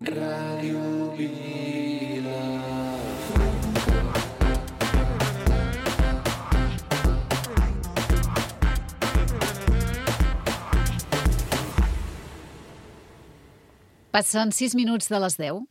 Ràdio Vila. Passen 6 minuts de les 10.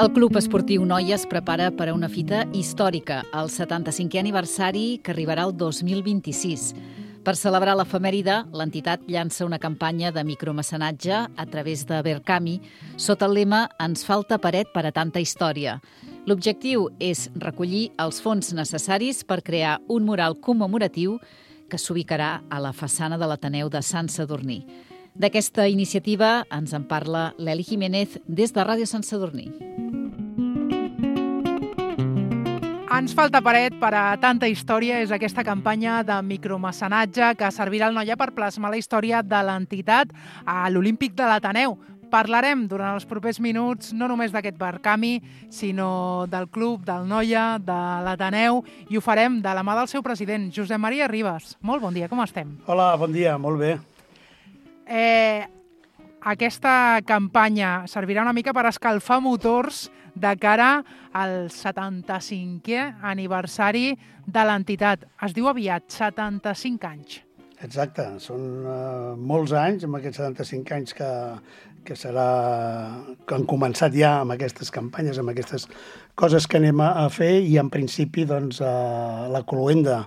El Club Esportiu Noia es prepara per a una fita històrica, el 75è aniversari que arribarà el 2026. Per celebrar l'efemèride, l'entitat llança una campanya de micromecenatge a través de Verkami sota el lema «Ens falta paret per a tanta història». L'objectiu és recollir els fons necessaris per crear un mural commemoratiu que s'ubicarà a la façana de l'Ateneu de Sant Sadurní. D'aquesta iniciativa ens en parla l'Eli Jiménez des de Ràdio Sant Sadurní. Ens falta paret per a tanta història és aquesta campanya de micromecenatge que servirà al Noia per plasmar la història de l'entitat a l'Olímpic de l'Ateneu. Parlarem durant els propers minuts no només d'aquest Verkami, sinó del club, del Noia, de l'Ateneu, i ho farem de la mà del seu president, Josep Maria Ribas. Molt bon dia, com estem? Hola, bon dia, molt bé. Aquesta campanya servirà una mica per escalfar motors de cara al 75è aniversari de l'entitat. Es diu aviat, 75 anys. Exacte, són molts anys, amb aquests 75 anys que han començat ja amb aquestes campanyes, amb aquestes coses que anem a fer, i en principi doncs, la cloenda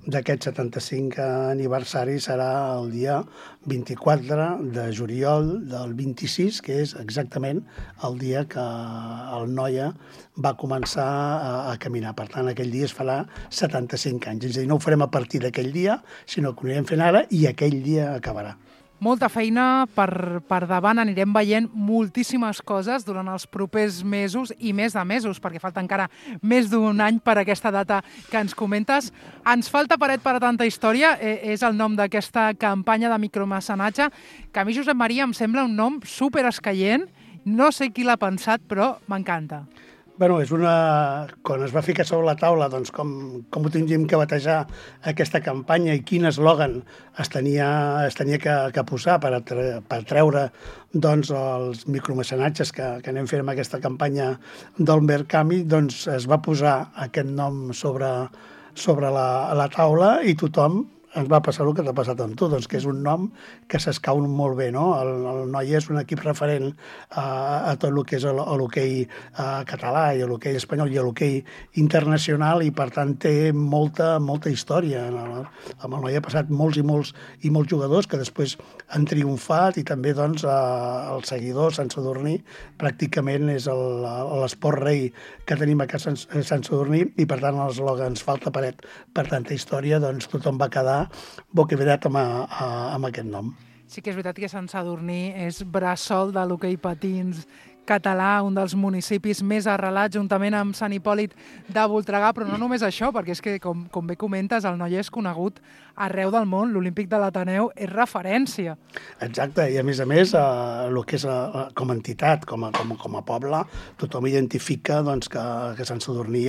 d'aquest 75 aniversari serà el dia 24 de juliol del 26, que és exactament el dia que el Noia va començar a caminar. Per tant, aquell dia es farà 75 anys. És a dir, no ho farem a partir d'aquell dia, sinó que ho anirem fent ara i aquell dia acabarà. Molta feina per davant, anirem veient moltíssimes coses durant els propers mesos i més de mesos, perquè falta encara més d'un any per aquesta data que ens comentes. Ens falta paret per a tanta història, és el nom d'aquesta campanya de micromecenatge, que a mi, Josep Maria, em sembla un nom superescaient. No sé qui l'ha pensat, però m'encanta. Bueno, quan es va ficar sobre la taula doncs, com ho tindríem que batejar aquesta campanya i quin eslògan es tenia que posar per treure doncs, els micromecenatges que anem fent amb aquesta campanya del Verkami, doncs es va posar aquest nom sobre la taula i tothom ens va passar el que t'ha passat amb tu, doncs, que és un nom que s'escau molt bé, no? El Noia és un equip referent a tot el que és l'hoquei català i l'hoquei espanyol i l'hoquei internacional, i per tant té molta història. Amb el Noia ha passat molts jugadors que després han triomfat, i també doncs, el seguidor Sant Sadurní pràcticament és l'esport rei que tenim a Sant Sadurní, i per tant l'eslògan "Ens falta paret per tanta història", doncs tothom va quedar bocabadat amb aquest nom. Sí que és veritat que Sant Sadurní és bressol de l'hoquei patins català, un dels municipis més arrelats, juntament amb Sant Hipòlit de Voltregà, però no només això, perquè és que, com bé comentes, el Noia és conegut arreu del món, l'Olímpic de l'Ateneu és referència. Exacte, i a més, el que és com a entitat, com a poble, tothom identifica doncs, que Sant Sadurní hi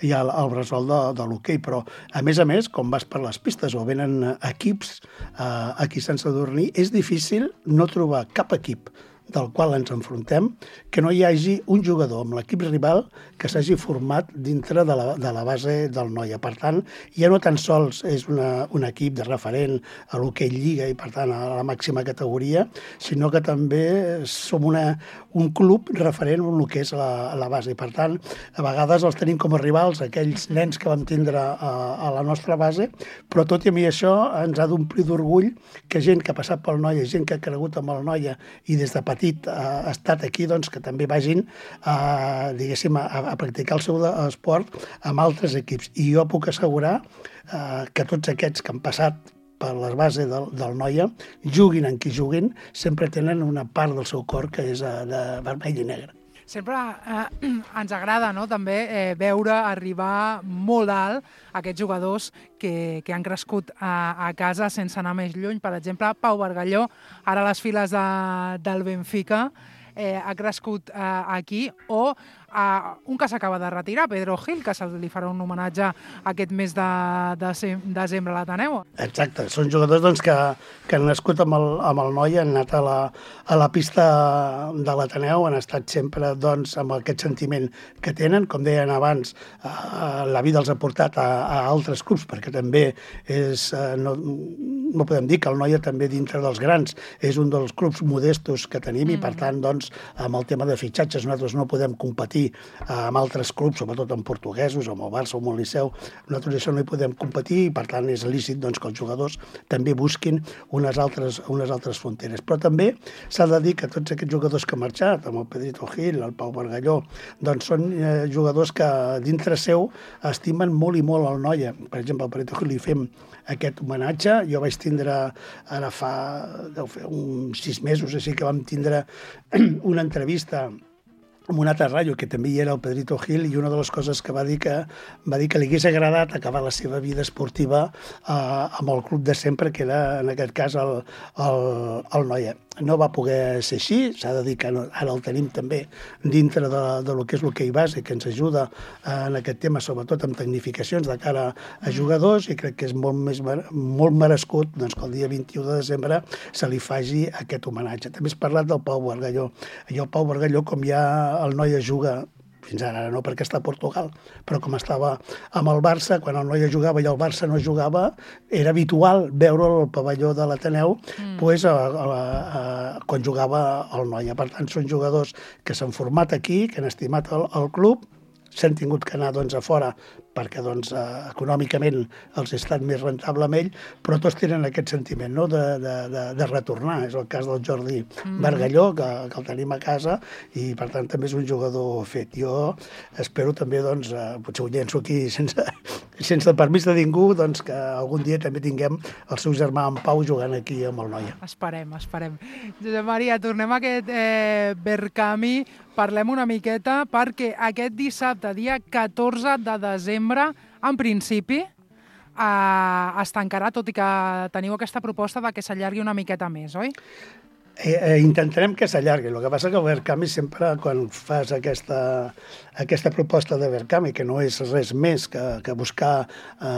ha el bressol de l'hoquei, però a més, com vas per les pistes o venen equips aquí a Sant Sadurní, és difícil no trobar cap equip del qual ens enfrontem, que no hi hagi un jugador amb l'equip rival que s'hagi format dintre de la base del Noia. Per tant, ja no tan sols és un equip de referent a l'hoquei Lliga i, per tant, a la màxima categoria, sinó que també som un club referent en el que és la base. I, per tant, a vegades els tenim com a rivals, aquells nens que vam tindre a la nostra base, però tot i a mi això ens ha d'omplir d'orgull que gent que ha passat pel Noia, gent que ha cregut amb el Noia i des de petit ha estat aquí, doncs que també vagin a practicar el seu esport amb altres equips. I jo puc assegurar que tots aquests que han passat per les bases del Noia, juguin en qui juguin, sempre tenen una part del seu cor que és de vermell i negre. Sempre ens agrada, no?, també veure arribar molt alt aquests jugadors que han crescut a casa sense anar més lluny. Per exemple, Pau Bargalló, ara a les files del Benfica, ha crescut aquí, o un que s'acaba de retirar, Pedro Gil, que se li farà un homenatge aquest mes de desembre a l'Ateneu. Exacte, són jugadors doncs, que han nascut amb el Noi, han anat a la pista de l'Ateneu, han estat sempre doncs, amb aquest sentiment que tenen, com deien abans, la vida els ha portat a altres clubs, perquè també és, no podem dir que el Noia també dintre dels grans és un dels clubs modestos que tenim i per tant doncs, amb el tema de fitxatges nosaltres no podem competir amb altres clubs, sobretot amb portuguesos, amb el Barça o amb el Liceu, nosaltres això no hi podem competir i per tant és lícit doncs, que els jugadors també busquin unes altres fronteres. Però també s'ha de dir que tots aquests jugadors que han marxat, amb el Pedrito Gil, el Pau Bargalló, doncs són jugadors que dintre seu estimen molt i molt el Noia. Per exemple, al Pedrito Gil li fem aquest homenatge. Jo vaig tindre, ara deu fer uns 6 mesos, així que vam tindre una entrevista amb una altra ràdio, que també hi era el Pedrito Gil, i una de les coses que va dir que li hagués agradat acabar la seva vida esportiva amb el club de sempre, que era, en aquest cas, el Noia. No va poder ser així, s'ha de dir que ara el tenim també dintre de lo que és l'hoquei base, que ens ajuda en aquest tema, sobretot amb tecnificacions de cara a jugadors, i crec que és molt merescut doncs, que el dia 21 de desembre se li faci aquest homenatge. També has parlat del Pau Bargalló. I el Pau Bargalló, com ja el Noia juga, fins ara no perquè està a Portugal, però com estava amb el Barça, quan el Noia jugava i el Barça no jugava, era habitual veure el pavelló de l'Ateneu pues, quan jugava el Noia. Per tant, són jugadors que s'han format aquí, que han estimat el club, s'han tingut que anar doncs, a fora perquè doncs, econòmicament els ha estat més rentable amb ell, però tots tenen aquest sentiment no? de retornar. És el cas del Jordi Bargalló, que el tenim a casa, i per tant també és un jugador fet. Jo espero també, doncs, potser ho llenço aquí sense permís de ningú, doncs, que algun dia també tinguem el seu germà en Pau jugant aquí amb el Noia. Esperem. Josep Maria, tornem a aquest Berkami, parlem una miqueta, perquè aquest dissabte, dia 14 de desembre, en principi, es tancarà, tot i que teniu aquesta proposta de que s'allargui una miqueta més, oi? Intentarem que s'allargui. El que passa que el Berkami sempre, quan fas aquesta proposta de Berkami, que no és res més que buscar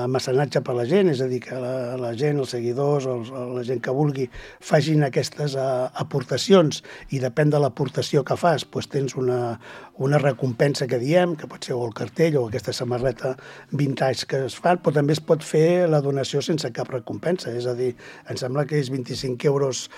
mecenatge per la gent, és a dir, que la gent, els seguidors, la gent que vulgui, facin aquestes aportacions, i depèn de l'aportació que fas, doncs tens una recompensa que diem, que pot ser o el cartell o aquesta samarreta vintage que es fa, però també es pot fer la donació sense cap recompensa. És a dir, em sembla que és 25 euros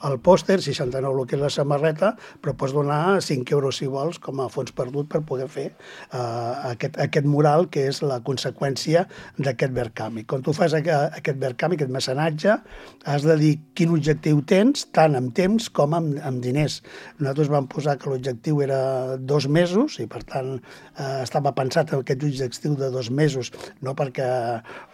el pòster, 69 el que és la samarreta, però pots donar 5 euros si vols com a fons perdut per poder fer aquest mural, que és la conseqüència d'aquest Berkami. Quan tu fas aquest Berkami, aquest mecenatge, has de dir quin objectiu tens, tant en temps com en diners. Nosaltres vam posar que l'objectiu era 2 mesos, i per tant estava pensat en aquest objectiu de 2 mesos, no perquè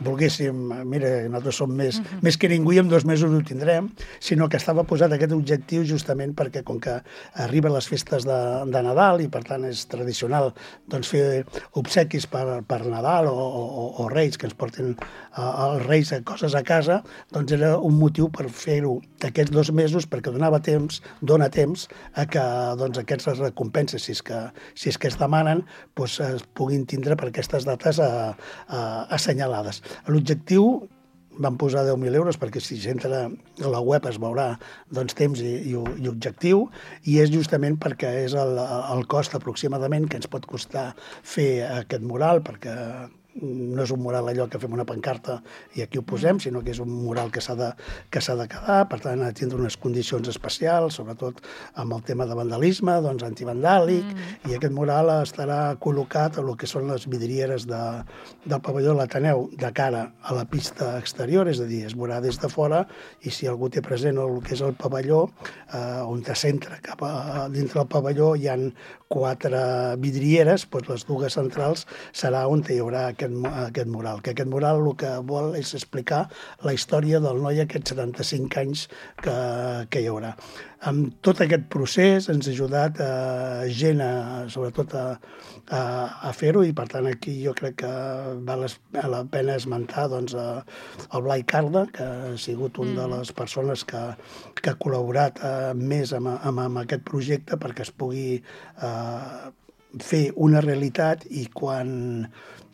volguéssim, mira, nosaltres som més que ningú i en 2 mesos ho tindrem, sinó que estava posat aquest objectiu justament perquè com que arriben les festes de Nadal i per tant és tradicional doncs, fer obsequis per Nadal o Reis, que ens portin els Reis coses a casa, doncs era un motiu per fer-ho aquests 2 mesos, perquè dona temps a que doncs, aquestes recompenses, si és que es demanen, doncs, es puguin tindre per aquestes dates assenyalades. L'objectiu vam posar 10.000 euros perquè si s'entra a la web es veurà doncs, temps i objectiu, i és justament perquè és el cost aproximadament que ens pot costar fer aquest mural, perquè no és un mural allò que fem una pancarta i aquí ho posem, sinó que és un mural que s'ha de quedar, per tant ha de tindre unes condicions especials, sobretot amb el tema de vandalisme, doncs antivandàlic, i aquest mural estarà col·locat a el que són les vidrieres del pavelló de l'Ateneu de cara a la pista exterior, és a dir, es veurà des de fora, i si algú té present el que és el pavelló, on s'entra cap a dintre del pavelló hi ha 4 vidrieres, doncs les 2 centrals serà on hi haurà aquest mural. Que aquest mural el que vol és explicar la història del Noia, aquests 75 anys que hi haurà. Amb tot aquest procés ens ha ajudat gent, sobretot a fer-ho, i per tant aquí jo crec que val la pena esmentar doncs, el Blai Carda, que ha sigut una de les persones que ha col·laborat més amb aquest projecte perquè es pugui fer una realitat i quan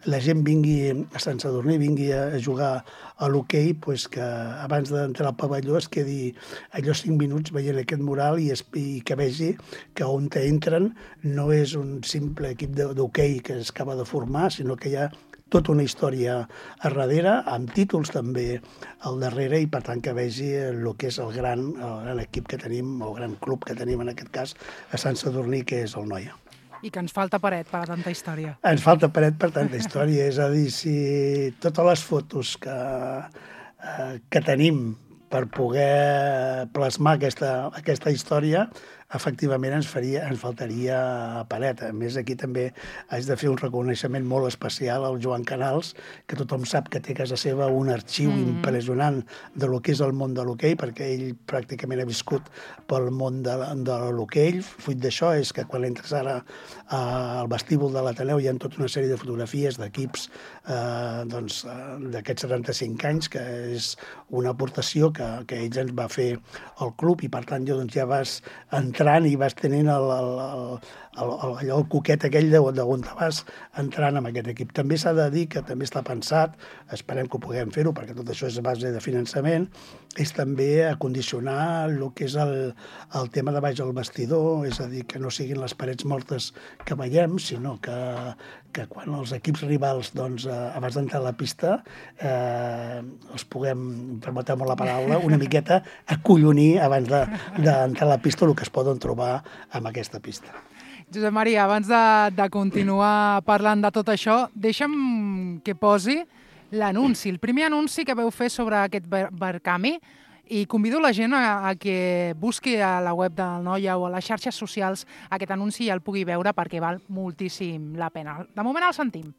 la gent vingui a Sant Sadurní, vingui a jugar a l'hoquei, pues que abans d'entrar al pavelló es quedi allò 5 minuts veient aquest mural i que vegi que on entren no és un simple equip d'hoquei que es acaba de formar, sinó que hi ha tota una història a darrere, amb títols també al darrere, i per tant que vegi el que és el gran equip que tenim, el gran club que tenim en aquest cas a Sant Sadurní, que és el Noia. I que ens falta paret per a tanta història. Ens falta paret per tanta història, és a dir, si totes les fotos que tenim per poder plasmar aquesta història, efectivament ens faltaria paret. A més, aquí també haig de fer un reconeixement molt especial al Joan Canals, que tothom sap que té a casa seva un arxiu impressionant de lo que és el món de l'hoquei, perquè ell pràcticament ha viscut pel món de l'hoquei. Fruit d'això és que quan entres ara al vestíbul de l'Ateneu hi ha tota una sèrie de fotografies d'equips d'aquests 75 anys, que és una aportació que ells ens va fer al club, i per tant jo ja vas entrant i vas tenint el coquet aquell d'on te vas entrant amb aquest equip. També s'ha de dir que també està pensat, esperem que ho puguem fer-ho, perquè tot això és a base de finançament, és també acondicionar el que és el tema de baix al vestidor, és a dir, que no siguin les parets mortes que veiem, sinó que quan els equips rivals, abans d'entrar a la pista, els puguem, permeteu-me la paraula, una miqueta acollonir abans d'entrar a la pista el que es poden trobar amb aquesta pista. Josep Maria, abans de continuar parlant de tot això, deixa'm que posi l'anunci, el primer anunci que veu fer sobre aquest Verkami, i convido la gent a que busqui a la web del Noia o a les xarxes socials aquest anunci i el pugui veure, perquè val moltíssim la pena. De moment el sentim.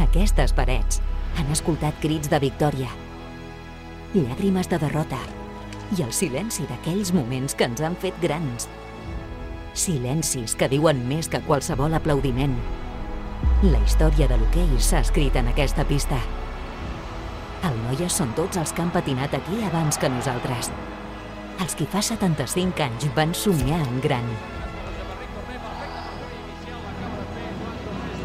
Aquestes parets han escoltat crits de victòria, llàgrimes de derrota i el silenci d'aquells moments que ens han fet grans. Silencis que diuen més que qualsevol aplaudiment. La història de l'hoquei s'ha escrit en aquesta pista. El Noia són tots els que han patinat aquí abans que nosaltres. Els que fa 75 anys van somiar en gran.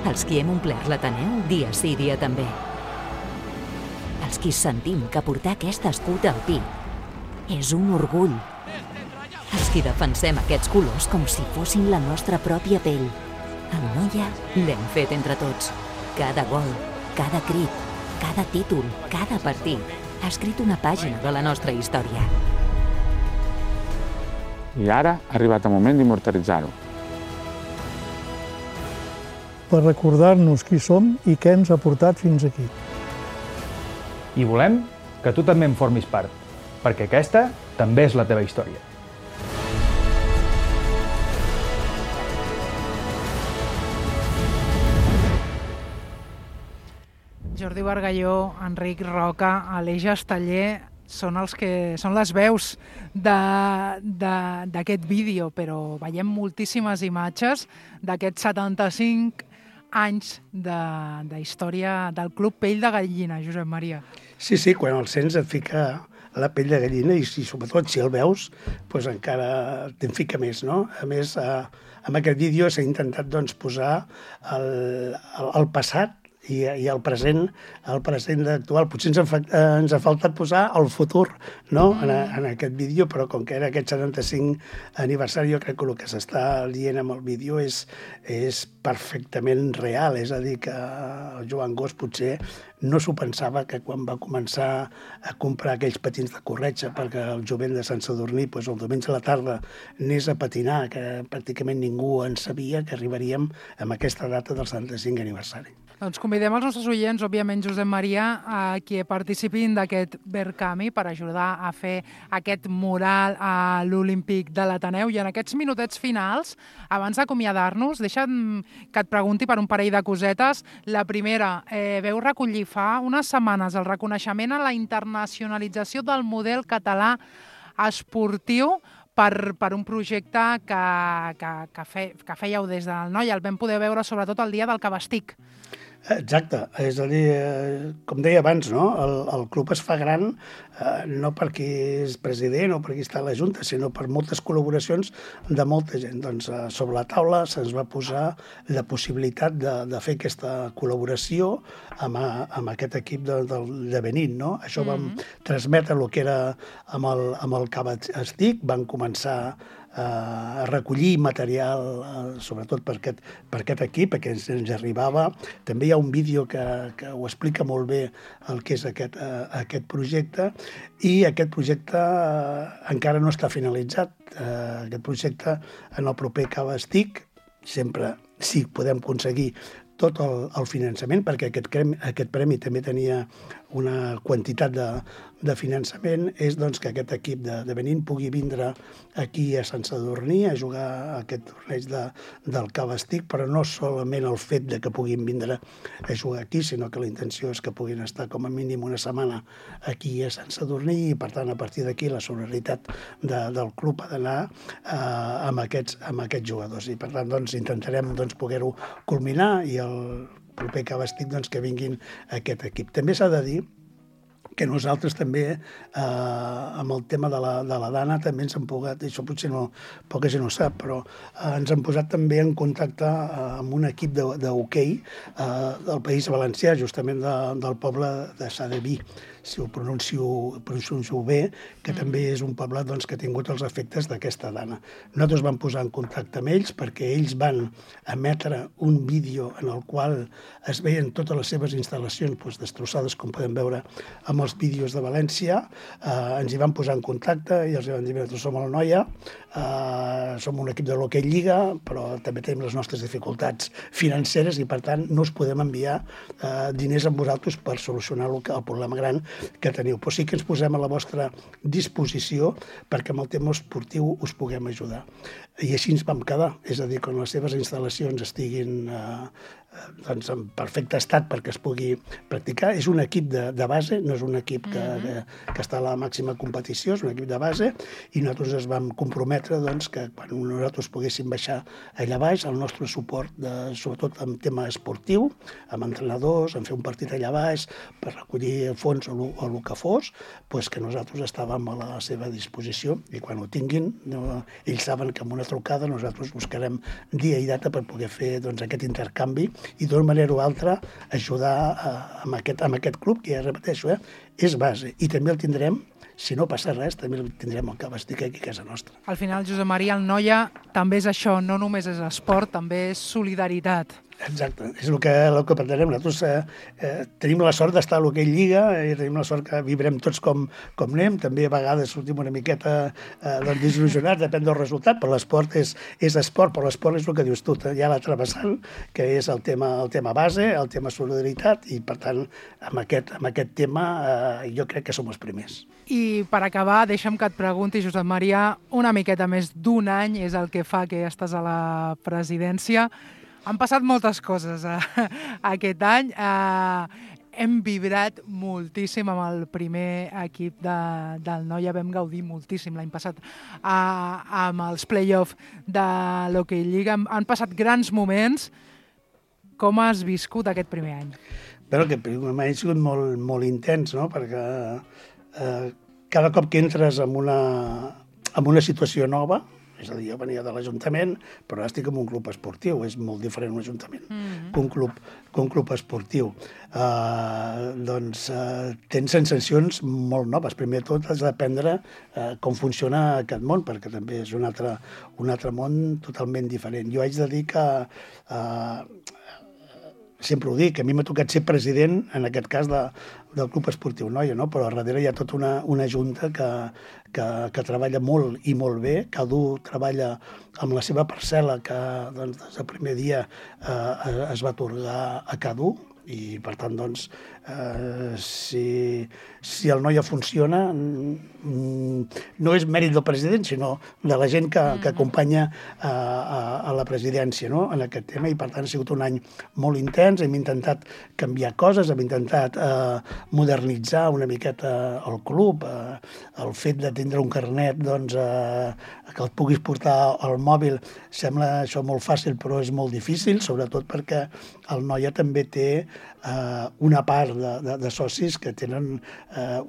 Els qui hem omplert l'Ateneu dia sí, dia també. Els qui sentim que portar aquest escut al pit és un orgull. Els qui defensem aquests colors com si fossin la nostra pròpia pell. El Noia l'hem fet entre tots. Cada gol, cada crit, cada títol, cada partit ha escrit una pàgina de la nostra història. I ara ha arribat el moment d'immortalitzar-ho. Per recordar-nos qui som i què ens ha portat fins aquí. I volem que tu també en formis part, perquè aquesta també és la teva història. Jordi Bargalló, Enric Roca, Aleix Esteller són les veus d'aquest vídeo, però veiem moltíssimes imatges d'aquests 75 anys d'història del Club Pell de Gallina, Josep Maria. Sí, quan el sents et fica la pell de gallina i sobretot si el veus, doncs encara te'n fica més, no? A més, amb aquest vídeo s'ha intentat posar el passat i el present actual. Potser ens ha faltat posar el futur, no?, en aquest vídeo, però com que era aquest 75 aniversari, jo crec que el que s'està dient amb el vídeo és perfectament real. És a dir, que el Joan Gos potser no s'ho pensava, que quan va començar a comprar aquells patins de corretja perquè el jovent de Sant Sadurní el diumenge a la tarda anés a patinar, que pràcticament ningú en sabia que arribaríem amb aquesta data del 75 aniversari. Doncs convidem els nostres oients, òbviament, Josep Maria, a que participin d'aquest Verkami per ajudar a fer aquest mural a l'Olímpic de l'Ateneu. I en aquests minutets finals, abans d'acomiadar-nos, deixa'm que et pregunti per un parell de cosetes. La primera, veu recollir fa unes setmanes el reconeixement a la internacionalització del model català esportiu per un projecte que fèieu des del Noia. El vam poder veure sobretot el dia del Cabastic. Exacte, és a dir, com deia abans, no? El club es fa gran no perquè és president o perquè està a la Junta, sinó per moltes col·laboracions de molta gent. Doncs sobre la taula se'ns va posar la possibilitat de fer aquesta col·laboració amb aquest equip de Benín, no? Això vam transmetre el que era amb el Cava Stick, van començar a recollir material, sobretot per aquest equip, que ens arribava. També hi ha un vídeo que ho explica molt bé el que és aquest projecte, i aquest projecte encara no està finalitzat. Aquest projecte, en el proper Cava Stick, sempre, si podem aconseguir tot el finançament, perquè aquest premi també tenia una quantitat de finançament, és doncs, que aquest equip de Benín pugui vindre aquí a Sant Sadurní a jugar aquest torneig del Cava Stick, però no solament el fet de que puguin vindre a jugar aquí, sinó que la intenció és que puguin estar com a mínim una setmana aquí a Sant Sadurní, i per tant a partir d'aquí la solidaritat del club ha d'anar amb aquests jugadors, i per tant doncs, intentarem poder-ho culminar, i el proper Cava Stick que vinguin aquest equip. També s'ha de dir que nosaltres també, amb el tema de la Dana, també ens hem pogut, això potser poca gent ho sap, però ens hem posat també en contacte amb un equip d'hoquei del País Valencià, justament del poble de Sadeví, si ho pronuncio bé, que també és un poble que ha tingut els efectes d'aquesta Dana. Nosaltres vam posar en contacte amb ells perquè ells van emetre un vídeo en el qual es veien totes les seves instal·lacions destrossades, com podem veure amb els vídeos de València. Ens hi van posar en contacte i els van dir: nosaltres som el Noia, som un equip de l'Hoquei Lliga, però també tenim les nostres dificultats financeres i per tant no us podem enviar diners amb vosaltres per solucionar el problema gran que teniu. Però sí que ens posem a la vostra disposició perquè amb el tema esportiu us puguem ajudar. I així ens vam quedar, és a dir, quan les seves instal·lacions estiguin en perfecte estat perquè es pugui practicar. És un equip de base, no és un equip que està a la màxima competició, és un equip de base, i nosaltres ens vam comprometre que quan nosaltres poguéssim baixar allà baix, el nostre suport, sobretot en tema esportiu, amb entrenadors, en fer un partit allà baix, per recollir fons o el que fos, que nosaltres estàvem a la seva disposició, i quan ho tinguin, ells saben que amb una trucada nosaltres buscarem dia i data per poder fer aquest intercanvi i d'una manera o altra ajudar amb aquest club, que ja repeteixo, és base. I també el tindrem, si no passa res, també el tindrem al Cava Stick aquí a casa nostra. Al final, Josep Maria, el Noia també és això, no només és esport, també és solidaritat. Exacte, és el que pretenem. Nosaltres tenim la sort d'estar a l'Hoquei Lliga i tenim la sort que vibrem tots com anem. També a vegades sortim una miqueta desil·lusionats, depèn del resultat, però l'esport és esport, però l'esport és el que dius tu, hi ha l'altre vessant, que és el tema base, el tema solidaritat, i per tant amb aquest tema jo crec que som els primers. I per acabar, deixa'm que et pregunti, Josep Maria, una miqueta més d'un any és el que fa que estàs a la presidència. Han passat moltes coses aquest any. Hem vibrat moltíssim amb el primer equip del Noia, vam gaudir moltíssim l'any passat amb els play-off de l'Hoquei Lliga. Han passat grans moments. Com has viscut aquest primer any? Bé, aquest primer any ha sigut molt intens, no? Perquè cada cop que entres en una situació nova, és a dir, jo venia de l'Ajuntament, però ara estic en un club esportiu, és molt diferent un Ajuntament que un club esportiu. Tens sensacions molt noves. Primer de tot has d'aprendre com funciona aquest món, perquè també és un altre món totalment diferent. Jo haig de dir que sempre ho dic, a mi m'ha tocat ser president, en aquest cas, del Club Esportiu Noia, no? Però darrere hi ha tota una junta que treballa molt i molt bé. Cadú treballa amb la seva parcel·la, que des del primer dia es va atorgar a Cadú, i per tant, si el Noia funciona, no és mèrit del president, sinó de la gent que acompanya a la presidència, no?, en aquest tema, i per tant ha sigut un any molt intens. Hem intentat canviar coses, hem intentat modernitzar una miqueta el club, el fet de tindre un carnet que el puguis portar al mòbil sembla això molt fàcil, però és molt difícil, sobretot perquè el Noia també té una part de socis que tenen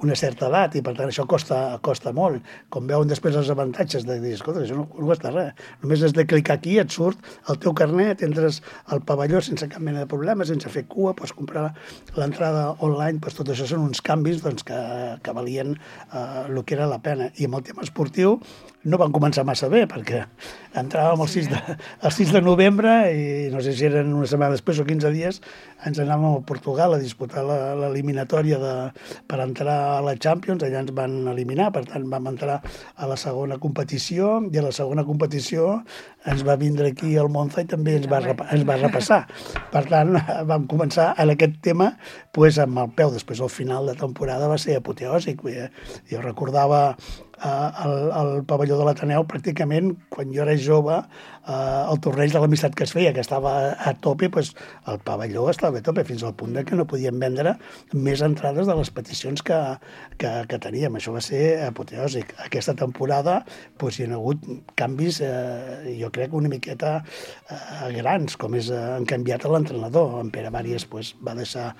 una certa edat i per tant això costa molt. Com veuen després els avantatges de dir, escolta, això no costa res, només has de clicar aquí, et surt el teu carnet, entres al pavelló sense cap mena de problema, sense fer cua, pots comprar l'entrada online, doncs tot això són uns canvis que valien el que era la pena. I amb el tema esportiu no van començar massa bé, perquè entràvem el 6 de novembre i no sé si eren una setmana després o 15 dies, ens anàvem a Portugal a disputar l'eliminatòria per entrar a la Champions, allà ens van eliminar, per tant vam entrar a la segona competició i a la segona competició ens va vindre aquí al Monza i també ens va repassar. Per tant, vam començar en aquest tema amb el peu. Després, al final de temporada, va ser apoteòsic. Jo recordava el pavelló de l'Ateneu, pràcticament, quan jo era jove, el torneig de l'amistat que es feia, que estava a tope, el pavelló estava a tope, fins al punt que no podíem vendre més entrades de les peticions que teníem. Això va ser apoteòsic. Aquesta temporada hi ha hagut canvis, jo crec, una miqueta grans, com han canviat l'entrenador. En Pere Bàries va deixar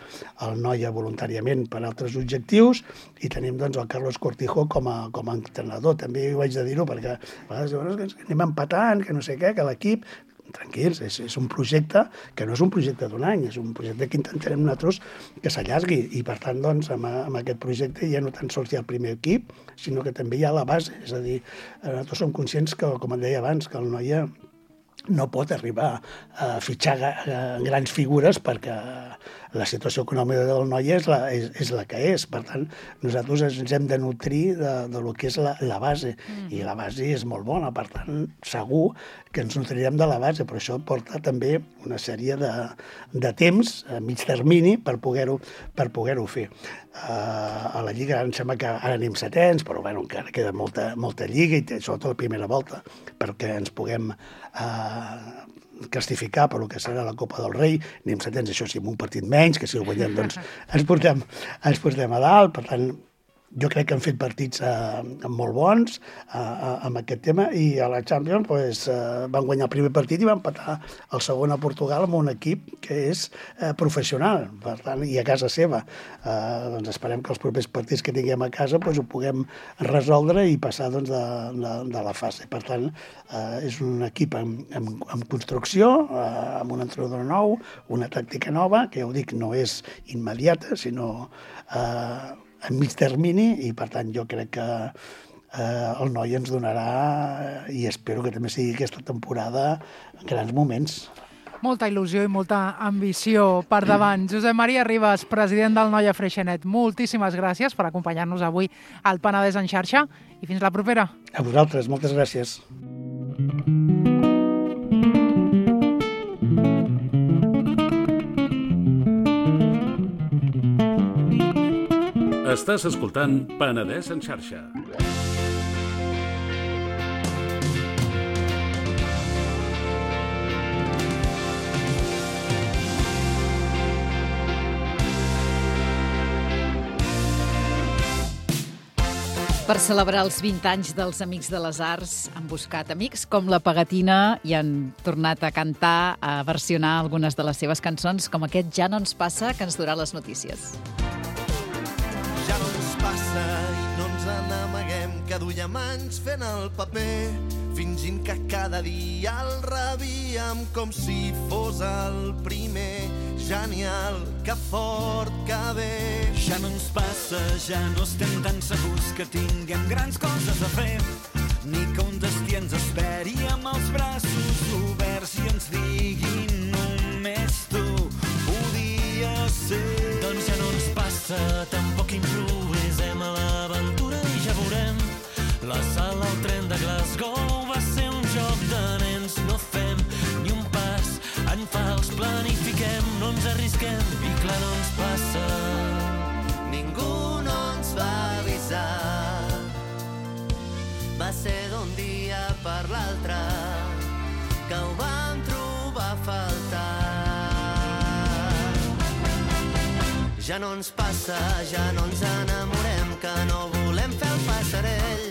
el Noia voluntàriament per altres objectius i tenim el Carlos Cortijo com a entrenador. També ho haig de dir-ho perquè a vegades anem empatant, que no sé què, que l'equip... Tranquils, és un projecte que no és un projecte d'un any, és un projecte que intentarem nosaltres que s'allargui i per tant amb aquest projecte ja no tan sols hi ha el primer equip, sinó que també hi ha la base, és a dir, nosaltres som conscients que, com et deia abans, que el Noia no pot arribar a fitxar grans figures perquè la situació econòmica del Noia és la que és. Per tant, nosaltres ens hem de nutrir de lo que és la base, i la base és molt bona. Per tant, segur que ens nutrirem de la base, però això porta també una sèrie de temps a mig termini per poder-ho fer. A la Lliga em sembla que ara anem setens, però encara queda molta Lliga, i sobretot la primera volta, perquè ens puguem classificar per el que serà la Copa del Rei. Anem setens, això sí, amb un partit menys, que si ho guanyem doncs ens portem a dalt. Per tant, jo crec que han fet partits molt bons amb aquest tema, i a la Champions van guanyar el primer partit i van empatar el segon a Portugal amb un equip que és professional, per tant, i a casa seva. Doncs esperem que els propers partits que tinguem a casa ho puguem resoldre i passar de la fase. Per tant, és un equip en construcció, amb un entrenador nou, una tàctica nova, que ja ho dic, no és immediata, sinó en mig termini, i per tant jo crec que el Noia ens donarà, i espero que també sigui aquesta temporada, grans moments. Molta il·lusió i molta ambició per davant. Josep Maria Ribas, president del Noia Freixenet, moltíssimes gràcies per acompanyar-nos avui al Penedès en xarxa i fins la propera. A vosaltres, moltes gràcies. Estàs escoltant Penedès en xarxa. Per celebrar els 20 anys dels Amics de les Arts han buscat amics com la Pegatina i han tornat a cantar, a versionar algunes de les seves cançons, com aquest Ja no ens passa, que ens durà les notícies. Ja no ens passa i no ens n'amaguem, que duiem anys fent el paper, fingint que cada dia el rebíem com si fos el primer. Genial, que fort, que bé. Ja no ens passa, ja no estem tan segurs que tinguem grans coses a fer, ni que un destí ens esperi amb els braços oberts i ens digui només tu podies ser. Doncs ja no ens passa, tampoc improvisem a l'aventura i ja veurem. La sala al tren de Glasgow va ser un joc de nens, no fem ni un pas en fals, planifiquem, no ens arrisquem i clar no ens passa. Ningú no ens va avisar, va ser d'un dia per l'altre que ho vam trobar a faltar. Ja no ens passa, ja no ens enamorem, que no volem fer el passarell.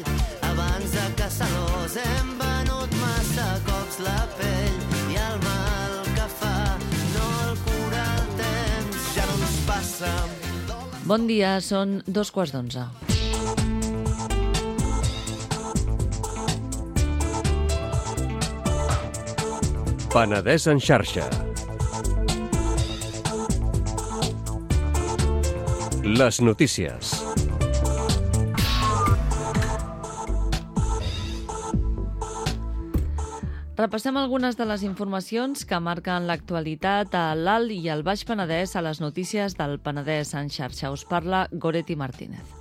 Abans de caçadors hem venut massa cops la pell, i el mal que fa no el cura el temps. Bon dia, són 2:15. Penedès en xarxa. Les notícies. Repassem algunes de les informacions que marquen l'actualitat a l'Alt i al Baix Penedès a les notícies del Penedès en xarxa. Us parla Goretti Martínez.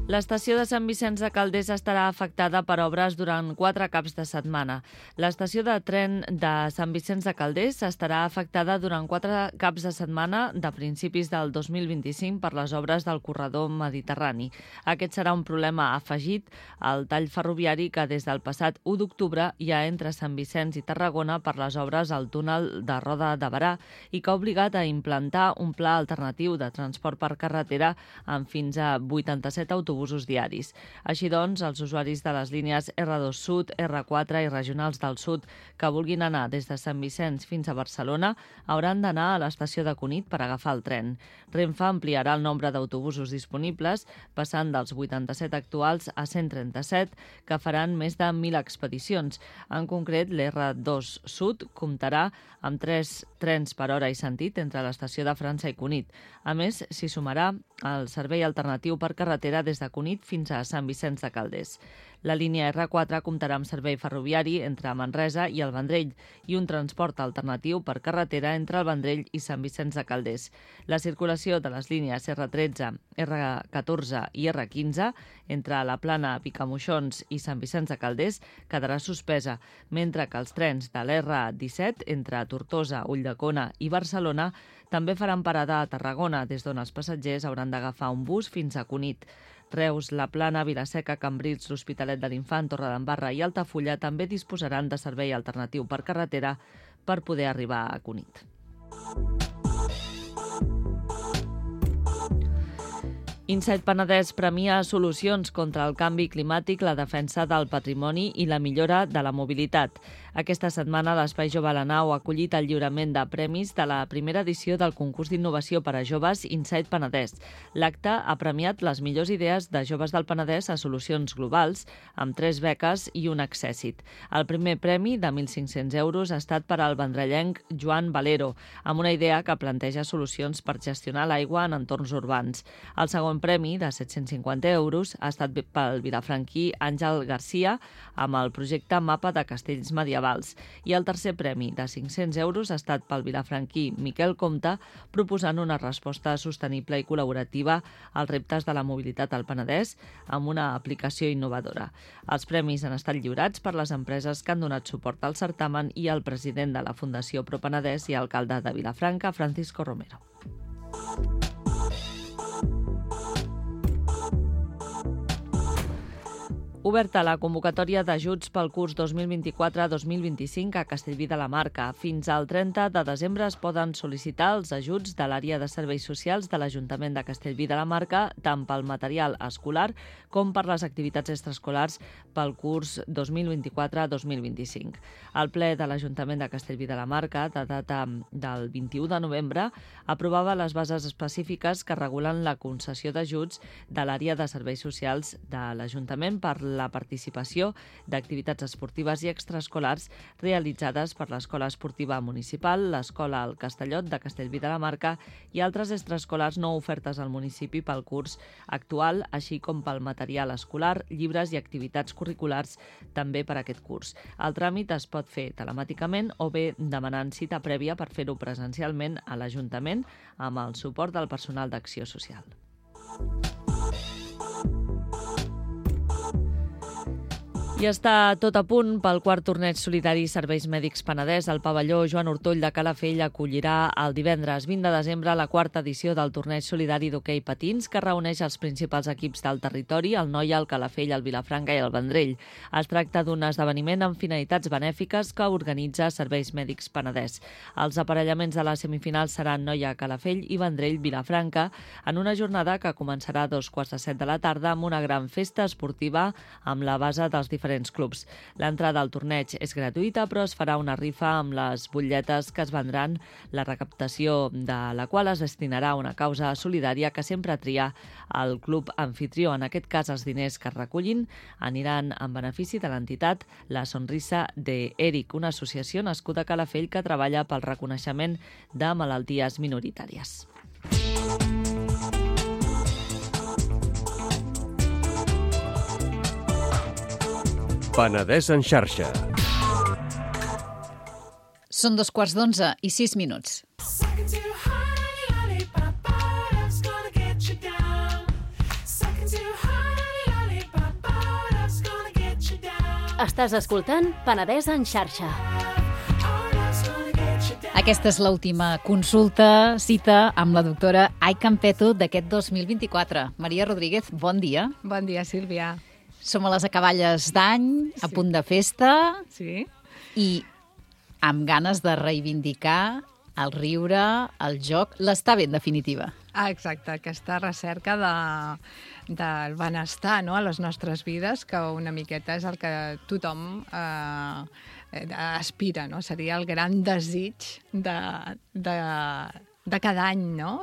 L'estació de Sant Vicenç de Calders estarà afectada per obres durant 4 caps de setmana. L'estació de tren de Sant Vicenç de Calders estarà afectada durant 4 caps de setmana de principis del 2025 per les obres del corredor mediterrani. Aquest serà un problema afegit al tall ferroviari que des del passat 1 d'octubre hi ha entre Sant Vicenç i Tarragona per les obres al túnel de Roda de Berà i que ha obligat a implantar un pla alternatiu de transport per carretera amb fins a 87 autobusos diaris. Així doncs, els usuaris de les línies R2 Sud, R4 i regionals del Sud que vulguin anar des de Sant Vicenç fins a Barcelona hauran d'anar a l'estació de Cunit per agafar el tren. Renfe ampliarà el nombre d'autobusos disponibles, passant dels 87 actuals a 137, que faran més de 1.000 expedicions. En concret, l'R2 Sud comptarà amb 3 trens per hora i sentit entre l'estació de França i Cunit. A més, s'hi sumarà el servei alternatiu per carretera des de Cunit fins a Sant Vicenç de Calders. La línia R4 comptarà amb servei ferroviari entre Manresa i el Vendrell i un transport alternatiu per carretera entre el Vendrell i Sant Vicenç de Calders. La circulació de les línies R13, R14 i R15 entre la Plana, Picamoixons i Sant Vicenç de Calders quedarà suspesa, mentre que els trens de l'R17 entre Tortosa, Ulldecona i Barcelona també faran parada a Tarragona, des d'on els passatgers hauran d'agafar un bus fins a Cunit. Reus, La Plana, Vilaseca, Cambrils, l'Hospitalet de l'Infant, Torredembarra i Altafulla també disposaran de servei alternatiu per carretera per poder arribar a Cunit. Insight Penedès premia solucions contra el canvi climàtic, la defensa del patrimoni i la millora de la mobilitat. Aquesta setmana l'Espai Jove a la Nau ha acollit el lliurament de premis de la primera edició del concurs d'innovació per a joves Insight Penedès. L'acte ha premiat les millors idees de joves del Penedès a solucions globals, amb 3 beques i un accèssit. El primer premi, de 1.500 euros, ha estat per al vendrellenc Joan Valero, amb una idea que planteja solucions per gestionar l'aigua en entorns urbans. El segon premi, de 750 euros, ha estat pel vilafranquí Àngel Garcia, amb el projecte Mapa de Castells Medievals. I el tercer premi, de 500 euros, ha estat pel vilafranquí Miquel Comte, proposant una resposta sostenible i col·laborativa als reptes de la mobilitat al Penedès amb una aplicació innovadora. Els premis han estat lliurats per les empreses que han donat suport al certamen i el president de la Fundació Pro Penedès i alcalde de Vilafranca, Francisco Romero. Oberta la convocatòria d'ajuts pel curs 2024-2025 a Castellví de la Marca. Fins al 30 de desembre es poden sol·licitar els ajuts de l'àrea de serveis socials de l'Ajuntament de Castellví de la Marca, tant pel material escolar com per les activitats extraescolars pel curs 2024-2025. El ple de l'Ajuntament de Castellví de la Marca, de data del 21 de novembre, aprovava les bases específiques que regulen la concessió d'ajuts de l'àrea de serveis socials de l'Ajuntament per la participació d'activitats esportives i extraescolars realitzades per l'Escola Esportiva Municipal, l'Escola al Castellot de Castellví de la Marca i altres extraescolars no ofertes al municipi pel curs actual, així com pel material escolar, llibres i activitats curriculars també per aquest curs. El tràmit es pot fer telemàticament o bé demanant cita prèvia per fer-ho presencialment a l'Ajuntament amb el suport del personal d'Acció Social. I està tot a punt pel quart torneig solidari Serveis Mèdics Penedès. El pavelló Joan Ortoll de Calafell acollirà el divendres 20 de desembre la quarta edició del torneig solidari d'hoquei patins que reuneix els principals equips del territori, el Noia, el Calafell, el Vilafranca i el Vendrell. Es tracta d'un esdeveniment amb finalitats benèfiques que organitza Serveis Mèdics Penedès. Els aparellaments de les semifinals seran Noia, Calafell i Vendrell, Vilafranca, en una jornada que començarà a 2:15 de la tarda amb una gran festa esportiva amb la base dels diferents diferents clubs. L'entrada al torneig és gratuïta, però es farà una rifa amb les butlletes que es vendran, la recaptació de la qual es destinarà a una causa solidària que sempre tria el club anfitrió. En aquest cas, els diners que es recullin aniran en benefici de l'entitat La Sonrisa de Eric, una associació nascuda a Calafell que treballa pel reconeixement de malalties minoritàries. Penedès en xarxa. Són 11:15 i 6 minuts. Estàs escoltant Penedès en xarxa. Aquesta és l'última consulta, cita amb la doctora Ai Campeto d'aquest 2024. Maria Rodríguez, bon dia. Bon dia, Sílvia. Som a les acaballes d'any, a punt de festa, i amb ganes de reivindicar el riure, el joc, l'estar bé, en definitiva. Exacte, aquesta recerca del benestar, no?, a les nostres vides, que una miqueta és el que tothom aspira, no? Seria el gran desig de cada any, no?,